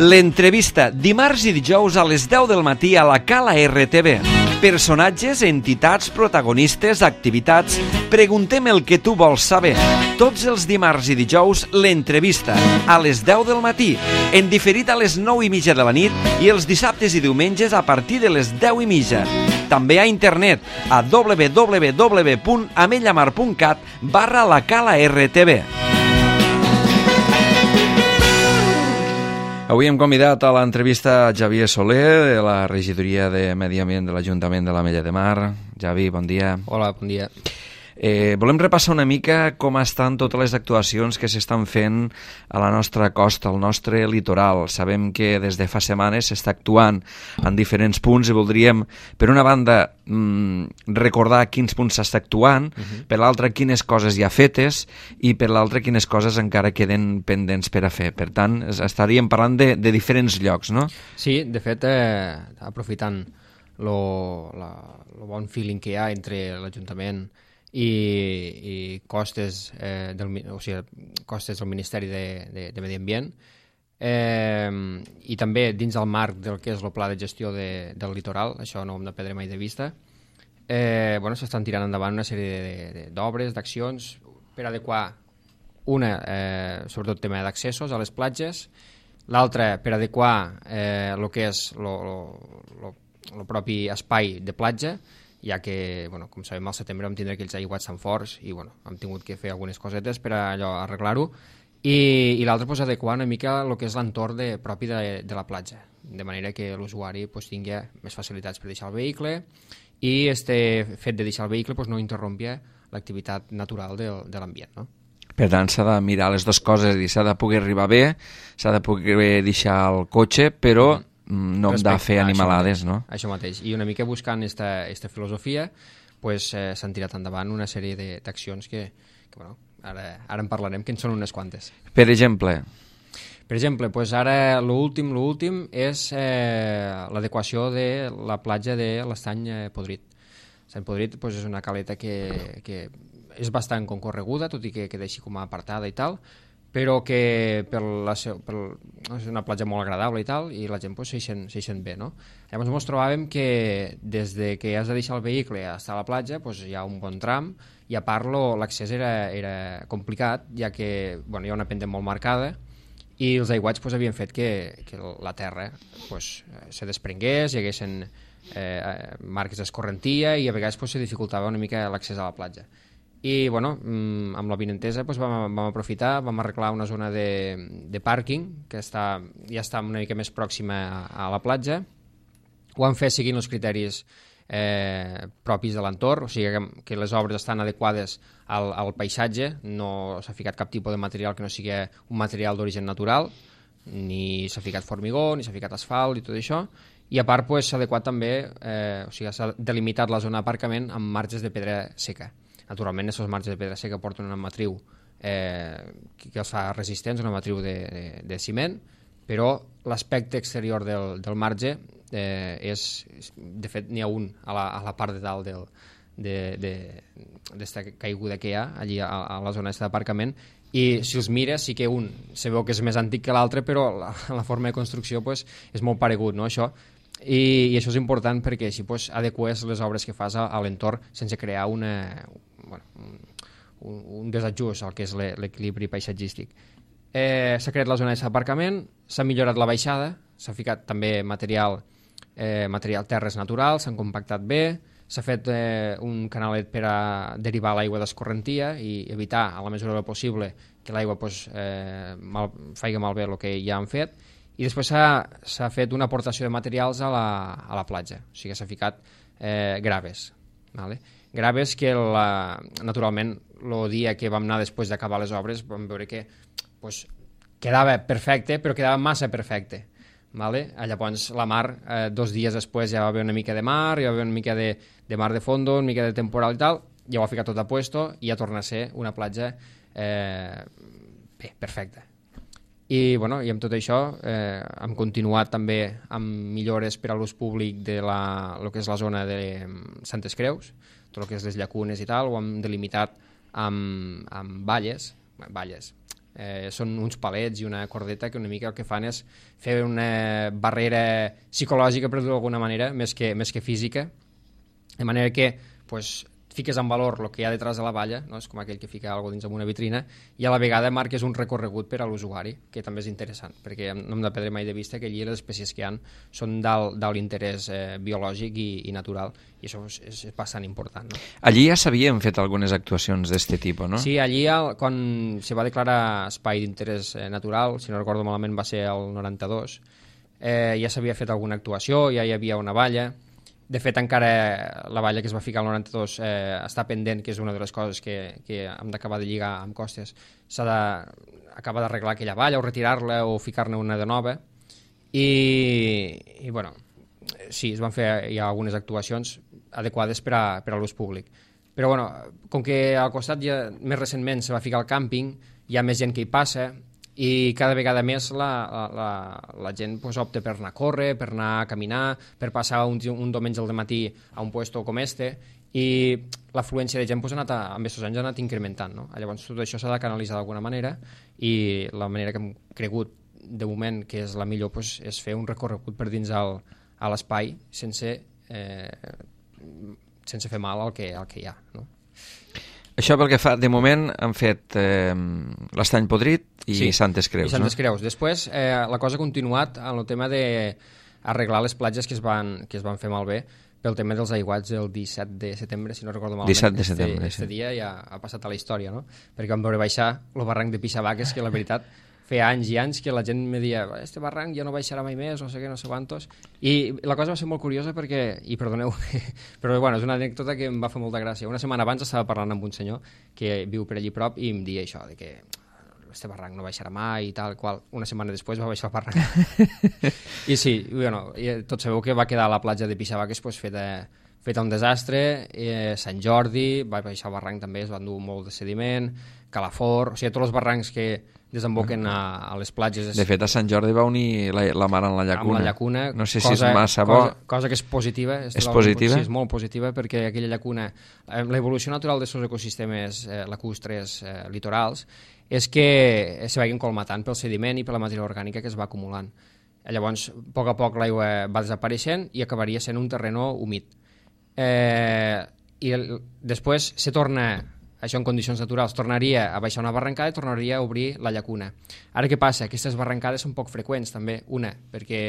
L'entrevista, dimarts i dijous a les 10 del matí a la Cala RTV. Personatges, entitats, protagonistes, activitats. Preguntem el que tu vols saber. Tots els dimarts i dijous, l'entrevista, a les 10 del matí, en diferit a les 9:30 de la nit i els dissabtes i diumenges a partir de les 10:30. També a internet a www.amellamar.cat/la Cala RTV. Avui hem convidat a l'entrevista Xavier Soler, de la regidoria de Medi Ambient de l'Ajuntament de l'Ametlla de Mar. Xavi, bon dia. Hola, bon dia. Volem repassar una mica com estan totes les actuacions que s'estan fent a la nostra costa, al nostre litoral. Sabem que des de fa setmanes s'està actuant en diferents punts i voldríem, per una banda, recordar quins punts s'està actuant, per l'altra quines coses ja fetes i per l'altra quines coses encara queden pendents per a fer. Per tant, estaríem parlant de diferents llocs, no? Sí, de fet, aprofitant lo bon feeling que hi ha entre l'Ajuntament i costes costes del Ministeri de Medi Ambient i també dins el marc del que és el pla de gestió del litoral, això no ho hem de perdre mai de vista. S'estan tirant endavant una sèrie d'obres, d'accions per adequar sobretot tema d'accessos a les platges, l'altra per adequar el que és el propi espai de platja, ja que, com sabem, al setembre vam tindre aquells aiguats tan forts i hem tingut que fer algunes cosetes per arreglar-ho, i l'altre adequar una mica el que és l'entorn propi de la platja, de manera que l'usuari tingui més facilitats per deixar el vehicle i este fet de deixar el vehicle no interrompia l'activitat natural de l'ambient, no? Per tant, s'ha de mirar les dues coses, i s'ha de poder arribar bé, s'ha de poder deixar el cotxe, però no hem de fer animalades, no? Això mateix. I una mica buscant aquesta filosofia s'han tirat endavant una sèrie d'accions que ara en parlarem, que en són unes quantes. Per exemple? Per exemple, ara l'últim és l'adequació de la platja de l'Estany Podrit. L'Estany Podrit és una caleta que és bastant concorreguda, tot i que queda així com a apartada i tal, però que és una platja molt agradable i tal, i la gent s'hi sent bé, no? Llavors ens trobàvem que des de que has de deixar el vehicle a estar a la platja hi ha un bon tram, i a part l'accés era complicat, ja que hi ha una pendent molt marcada i els aiguats havien fet que la terra se desprengués, hi haguessin marques d'escorrentia i a vegades se dificultava una mica l'accés a la platja. I amb la vinentesa vam aprofitar, vam arreglar una zona de pàrquing que ja està una mica més pròxima a la platja. Ho han fet seguint els criteris propis de l'entorn, o sigui que les obres estan adequades al paisatge, no s'ha ficat cap tipus de material que no sigui un material d'origen natural, ni s'ha ficat formigó, ni s'ha ficat asfalt i tot això, i a part s'ha adequat també, s'ha delimitat la zona d'aparcament amb marges de pedra seca. Naturalment, aquests marges de pedra seca porten una matriu que els fa resistents, una matriu de ciment, però l'aspecte exterior del marge de fet n'hi ha un a la part de dalt d'esta caiguda que hi ha allí a la zona d'aparcament, i si els mires sí que un se veu que és més antic que l'altre, però la forma de construcció és molt paregut, no, això? I això és important perquè així adeques les obres que fas a l'entorn sense crear un desajust al que és l'equilibri paisatgístic. S'ha creat la zona d'aparcament, s'ha millorat la baixada, s'ha ficat també material terres naturals, s'han compactat bé, s'ha fet un canalet per a derivar l'aigua d'escorrentia i evitar, a la mesura del possible, que l'aigua faci malbé el que ja han fet. I després s'ha fet una aportació de materials a la platja, o sigui, s'ha ficat graves. Graves que, naturalment, el dia que vam anar després d'acabar les obres vam veure que quedava perfecte, però quedava massa perfecte. Llavors la mar, 2 dies després ja va haver una mica de mar, ja va haver una mica de mar de fondo, una mica de temporal i tal, ja ho ha ficat tot a puesto i ja torna a ser una platja perfecta. I amb tot això hem continuat també amb millores per a l'ús públic de el que és la zona de Santes Creus, tot el que és les llacunes i tal, ho hem delimitat amb valles, Són uns palets i una cordeta que una mica el que fan és fer una barrera psicològica, per dir-ho d'alguna manera, més que física, de manera que pues, fiques en valor el que hi ha detrás de la valla, no? És com aquell que fica alguna cosa dins d'una vitrina, i a la vegada marques un recorregut per a l'usuari, que també és interessant, perquè no hem de perdre mai de vista que allí les espècies que hi ha són dalt l'interès biològic i natural, i això és bastant important. No? Allí ja s'havien fet algunes actuacions d'aquest tipus, no? Sí, allí quan se va declarar espai d'interès natural, si no recordo malament va ser el 92, ja s'havia fet alguna actuació, ja hi havia una valla. De fet, encara la valla que es va ficar al 92 està pendent, que és una de les coses que hem d'acabar de lligar amb Costes. S'ha d'acabar d'arreglar aquella valla o retirar-la o ficar-ne una de nova. I bueno, sí, es van fer ja algunes actuacions adequades per a l'ús públic. Però bueno, com que al costat ja més recentment se va ficar el càmping, hi ha més gent que hi passa, i cada vegada més la gent pues, opta per anar a córrer, per anar a caminar, per passar un diumenge al matí a un puesto com este, i l'afluència de gent pues, amb aquests anys ha anat incrementant. No? Llavors tot això s'ha de canalitzar d'alguna manera, i la manera que hem cregut de moment que és la millor pues, és fer un recorregut per dins a l'espai sense fer mal al que hi ha. No? Això pel que fa, de moment han fet l'Estany Podrit i Santes Creus. I Santes Creus. Després la cosa ha continuat en el tema d'arreglar les platges que es van fer malbé pel tema dels aiguats el 17 de setembre, si no recordo malament. 17 de setembre, Este dia ja ha passat a la història, no? Perquè vam veure baixar el barranc de Pixabaques, que la veritat feia anys i anys que la gent me deia este barranc ja no baixarà mai més, no sé què, no sé quantos. I la cosa va ser molt curiosa perquè, i perdoneu, però bueno, és una anècdota que em va fer molta gràcia. Una setmana abans estava parlant amb un senyor que viu per allí prop i em deia això, de que este barranc no baixarà mai i tal, qual. Una setmana després va baixar el barranc. I sí, bueno, tots sabeu que va quedar a la platja de Pixabaques pues, feta un desastre, Sant Jordi, va baixar el barranc també, es va endur molt de sediment, Calafort, o sigui, tots els barrancs que desemboquen a les platges. De fet, a Sant Jordi va unir la mar en la llacuna. Amb la llacuna. No sé si és massa bo. Cosa que és positiva. És positiva? Sí, és molt positiva, perquè aquella llacuna, l'evolució natural dels seus ecosistemes lacustres litorals, és que se vagin colmatant pel sediment i per la matèria orgànica que es va acumulant. Llavors, a poc l'aigua va desapareixent i acabaria sent un terreno humit. I després se torna, això en condicions naturals, tornaria a baixar una barrancada i tornaria a obrir la llacuna. Ara què passa? Aquestes barrancades són poc freqüents també, una, perquè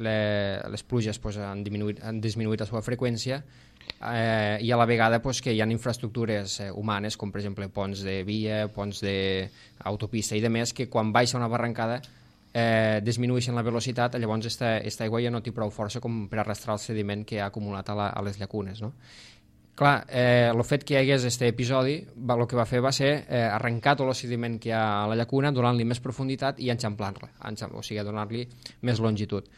les pluges pues, han disminuït la seva freqüència i a la vegada pues, que hi ha infraestructures humanes, com per exemple ponts de via, ponts d'autopista i demés, que quan baixa una barrancada disminueixen la velocitat, llavors aquesta aigua ja no té prou força com per arrastrar el sediment que ha acumulat a les llacunes, no? Clar, el fet que hi hagués aquest episodi, el que va fer va ser arrencar tot el sediment que hi ha a la llacuna, donant-li més profunditat i enxamplar-la, o sigui, donar-li més longitud.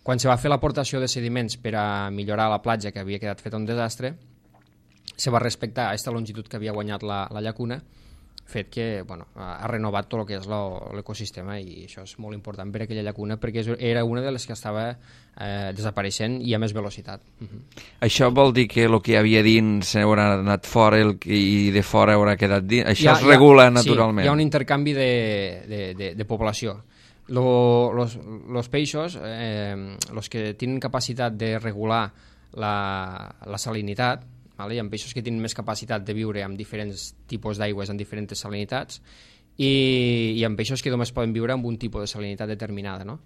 Quan se va fer l'aportació de sediments per a millorar la platja, que havia quedat feta un desastre, se va respectar aquesta longitud que havia guanyat la llacuna, fet que bueno, ha renovat tot el que és l'ecosistema, i això és molt important per a aquella llacuna perquè era una de les que estava desapareixent i a més velocitat. Això vol dir que el que hi havia dins haurà anat fora i de fora haurà quedat dins? Això es regula naturalment? Sí, hi ha un intercanvi de població. Los peixos, los que tenen capacitat de regular la salinitat, hi ha peixos que tenen més capacitat de viure amb diferents tipus d'aigües en diferents salinitats i hi ha peixos que només poden viure amb un tipus de salinitat determinada, no?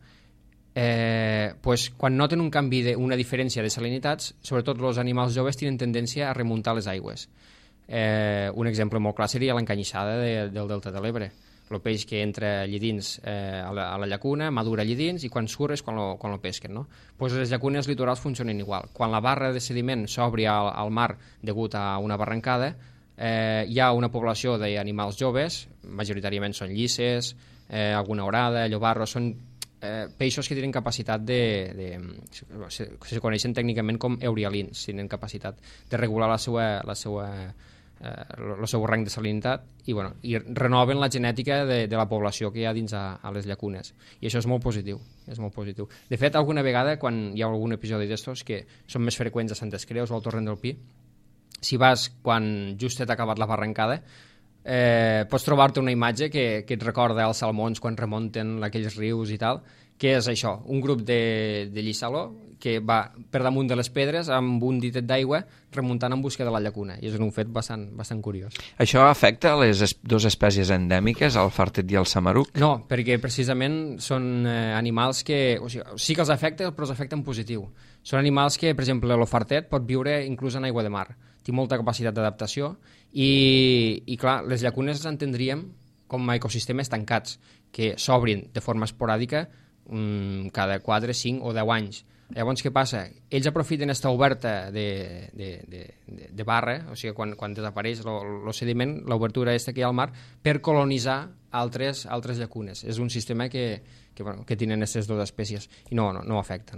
Pues, quan noten un canvi, una diferència de salinitats, sobretot els animals joves tenen tendència a remuntar les aigües. Un exemple molt clar seria l'encanyissada del delta de l'Ebre. El peix que entra allí dins a la llacuna, madura allí dins i quan surt és quan lo pesquen, no? Pues les llacunes litorals funcionen igual. Quan la barra de sediment s'obri al mar degut a una barrancada, hi ha una població d'animals joves, majoritàriament són llisses, alguna orada, llobarros, són peixos que tenen capacitat se coneixen tècnicament com eurialins, tenen capacitat de regular el seu rang de salinitat i renoven la genètica de la població que hi ha dins a les llacunes, i això és molt positiu, De fet, alguna vegada quan hi ha algun episodi d'estos que són més freqüents a Santes Creus o al Torrent del Pi, si vas quan just t'ha acabat la barrancada, pots trobar-te una imatge que et recorda els salmons quan remunten aquells rius i tal, que és això, un grup de llissaló que va per damunt de les pedres amb un ditet d'aigua remuntant en busca de la llacuna, i és un fet bastant curiós. Això afecta les dues espècies endèmiques, el fartet i el samaruc? No, perquè precisament són animals que... O sigui, sí que els afecta, però els afecta en positiu. Són animals que, per exemple, el fartet pot viure inclús en aigua de mar. Té molta capacitat d'adaptació i clar, les llacunes les entendríem com a ecosistemes tancats, que s'obrin de forma esporàdica cada 4, 5 o 10 anys. Llavors, què passa? Ells aprofiten esta oberta de barra, o sigui, quan desapareix el sediment, l'obertura aquesta que hi ha al mar, per colonitzar altres llacunes. És un sistema que tenen aquestes dues espècies. I no afecta.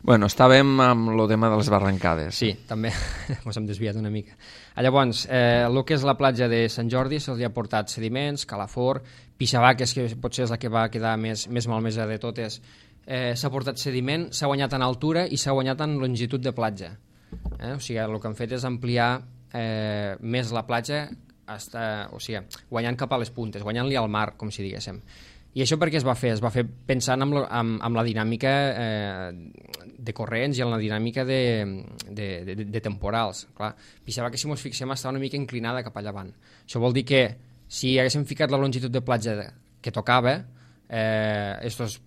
Bueno, estàvem amb el tema de les barrancades. Sí, també ens hem desviat una mica. Llavors, el que és la platja de Sant Jordi se'ls ha portat sediments, calafor, pixabaques, que potser és la que va quedar més malmesa de totes. S'ha portat sediment, s'ha guanyat en altura i s'ha guanyat en longitud de platja. O sigui, el que han fet és ampliar més la platja, guanyant cap a les puntes, guanyant-li al mar, com si diguéssim. I això per què es va fer? Es va fer pensant en la dinàmica de corrents i en la dinàmica de temporals. Clar, pensava que si ens fixem estava una mica inclinada cap a llevant. Això vol dir que si haguéssim ficat la longitud de platja que tocava, estos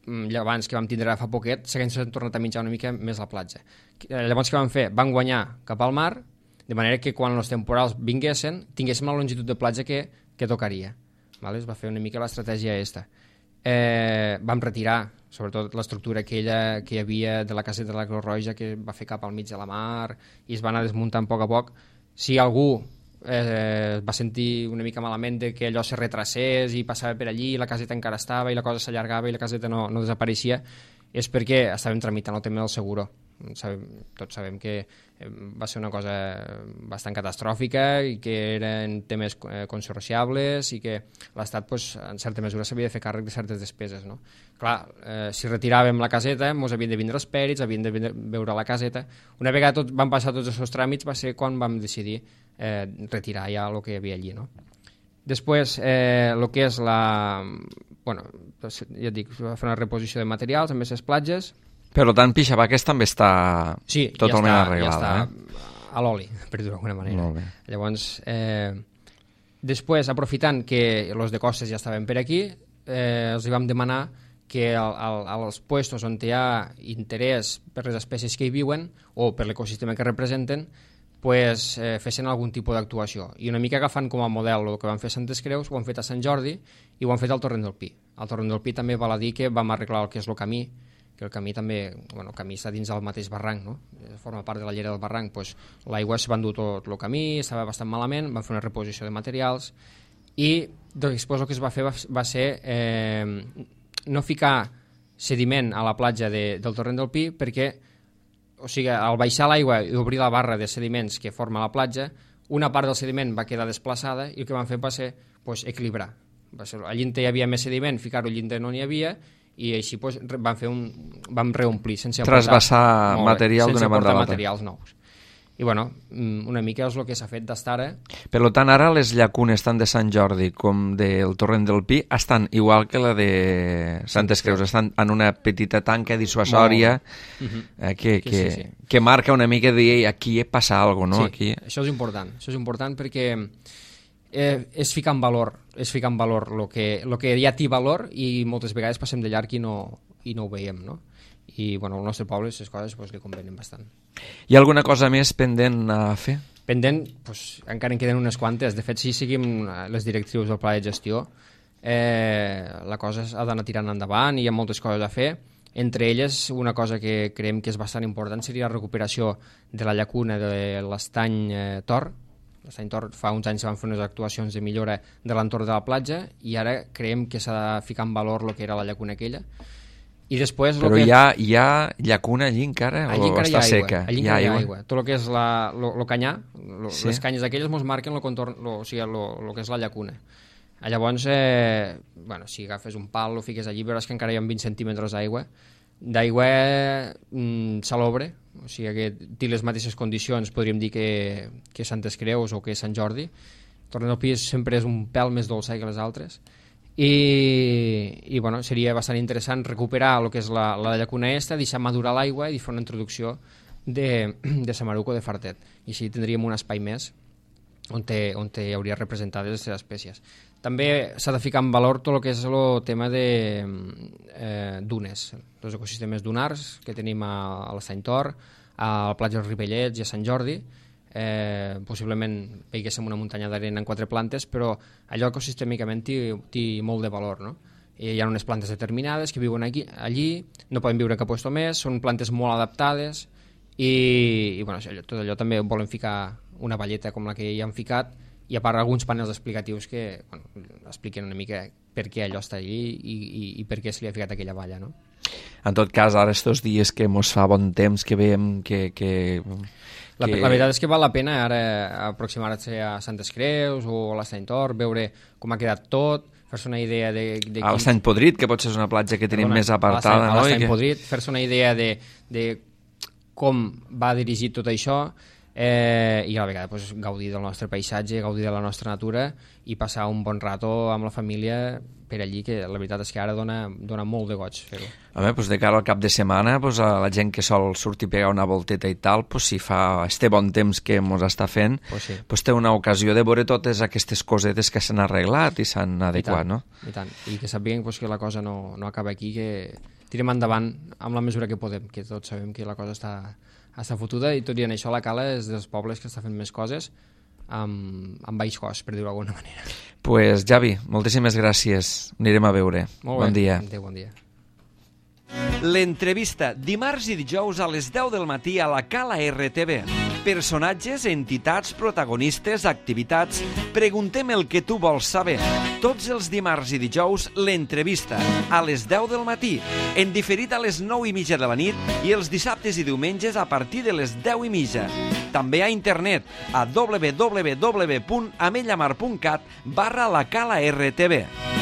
llevants que vam tindre fa poquet s'haguessin tornat a mitjar una mica més la platja. Llavors què van fer? Van guanyar cap al mar, de manera que quan els temporals vinguessin tinguéssim la longitud de platja que tocaria. Es va fer una mica l'estratègia aquesta. Vam retirar sobretot l'estructura aquella que hi havia de la caseta de la Creu Roja, que va fer cap al mig de la mar i es va anar desmuntant a poc. Si algú va sentir una mica malament de que allò se retracés i passava per allí, la caseta encara estava i la cosa s'allargava i la caseta no desapareixia, és perquè estàvem tramitant el tema del seguro. Tots sabem que va ser una cosa bastant catastròfica i que eren temes consorciables i que l'Estat en certa mesura s'havia de fer càrrec de certes despeses. Clar, si retiràvem la caseta ens havien de vindre els pèrits, havien de veure la caseta. Una vegada van passar tots els seus tràmits va ser quan vam decidir retirar ja el que hi havia allí. Després, el que és ja et dic, va fer una reposició de materials amb aquestes platges. Per tant, Pixabaques també està totalment arreglada. Ja està a l'oli, per dir-ho d'alguna manera. Llavors, després, aprofitant que els de costes ja estaven per aquí, els vam demanar que als puestos on hi ha interès per les espècies que hi viuen o per l'ecosistema que representen, fessin algun tipus d'actuació. I una mica agafant com a model el que van fer a Santes Creus, ho han fet a Sant Jordi i ho han fet al Torrent del Pi. Al Torrent del Pi també val a dir que vam arreglar el que és el camí, que el camí també, el camí està dins del mateix barranc, forma part de la llera del barranc, l'aigua es va endur tot el camí, estava bastant malament, van fer una reposició de materials i després el que es va fer va ser no ficar sediment a la platja del Torrent del Pi perquè, o sigui, al baixar l'aigua i obrir la barra de sediments que forma la platja, una part del sediment va quedar desplaçada i el que van fer va ser equilibrar. Allí hi havia més sediment, ficar-ho allí no n'hi havia i així vam reomplir sense trasbassar material d'una banda a l'altra. Materials nous. I una mica és el que s'ha fet d'estar ara. Per tant, ara les llacunes tant de Sant Jordi com del Torrent del Pi estan igual que la de Santes Creus, estan en una petita tanca dissuasòria que marca una mica de aquí passa alguna cosa, no? Sí, això és important perquè és ficar en valor el que ja té valor i moltes vegades passem de llarg i no ho veiem, no? I al nostre poble aquestes coses li convenen bastant. Hi ha alguna cosa més pendent a fer? Pendent, encara en queden unes quantes. De fet, si seguim les directrius del pla de gestió, la cosa ha d'anar tirant endavant i hi ha moltes coses a fer. Entre elles, una cosa que creiem que és bastant important seria la recuperació de la llacuna de l'Estany Tor. L'Estany Tor fa uns anys van fer unes actuacions de millora de l'entorn de la platja i ara creiem que s'ha de ficar en valor el que era la llacuna aquella. I després, però hi ha llacuna allí encara o està seca? Allí encara hi ha aigua. Tot el que és el canyar, les canyes aquelles ens marquen el contorn, o sigui, el que és la llacuna. Llavors, si agafes un pal, lo fiques allí, veuràs que encara hi ha 20 centímetres d'aigua salobre, o sigui que té les mateixes condicions, podríem dir que Santes Creus o que Sant Jordi, Tornant al pis sempre és un pèl més dolça que les altres. I bueno, seria bastant interessant recuperar el que és la llacuna esta, deixar madurar l'aigua i fer una introducció de samaruc o de fartet. I així tindríem un espai més on hi hauria representades les espècies. També s'ha de ficar en valor tot el que és el tema de dunes, els ecosistemes dunars que tenim a l'Estany Tor, a la platja dels Ripellets i a Sant Jordi. Possiblement veiguéssim una muntanya d'arena en 4 plantes, però allò ecosistèmicament té molt de valor, no? Hi ha unes plantes determinades que viuen allí, no poden viure cap lloc més, són plantes molt adaptades i bueno, tot allò també volen ficar una valleta com la que hi han ficat, i a part alguns panels explicatius que expliquen una mica per què allò està allí i per què se li ha ficat aquella valla, no? En tot cas, ara estos dies que mos fa bon temps, que veiem que... La veritat és que val la pena ara aproximar-se a Santes Creus o a l'Estany Tor, veure com ha quedat tot, fer-se una idea de a l'Estany Podrit, que potser és una platja que tenim més apartada, no? A l'Estany Podrit, fer-se una idea de com va dirigit tot això, i a la vegada gaudir del nostre paisatge, gaudir de la nostra natura i passar un bon rato amb la família per allí, que la veritat és que ara dona molt de goig fer-ho. De cara al cap de setmana, a la gent que sol sortir a pegar una volteta i tal, si fa este bon temps que mos està fent, té una ocasió de veure totes aquestes cosetes que s'han arreglat i s'han adequat, no? I tant, i que sàpiguen que la cosa no acaba aquí, que tirem endavant amb la mesura que podem, que tots sabem que la cosa està fotuda, i tot i en això la Cala és dels pobles que està fent més coses amb baix cost, per dir-ho d'alguna manera. Pues Javi, moltíssimes gràcies, anirem a veure. Bon dia. Adéu, bon dia. L'entrevista dimarts i dijous a les 10 del matí a la Cala RTV. Personatges, entitats, protagonistes, activitats... Preguntem el que tu vols saber. Tots els dimarts i dijous, l'entrevista, a les 10 del matí, en diferit a les 9:30 de la nit i els dissabtes i diumenges a partir de les 10:30. També a internet a www.amellamar.cat/la Cala RTV.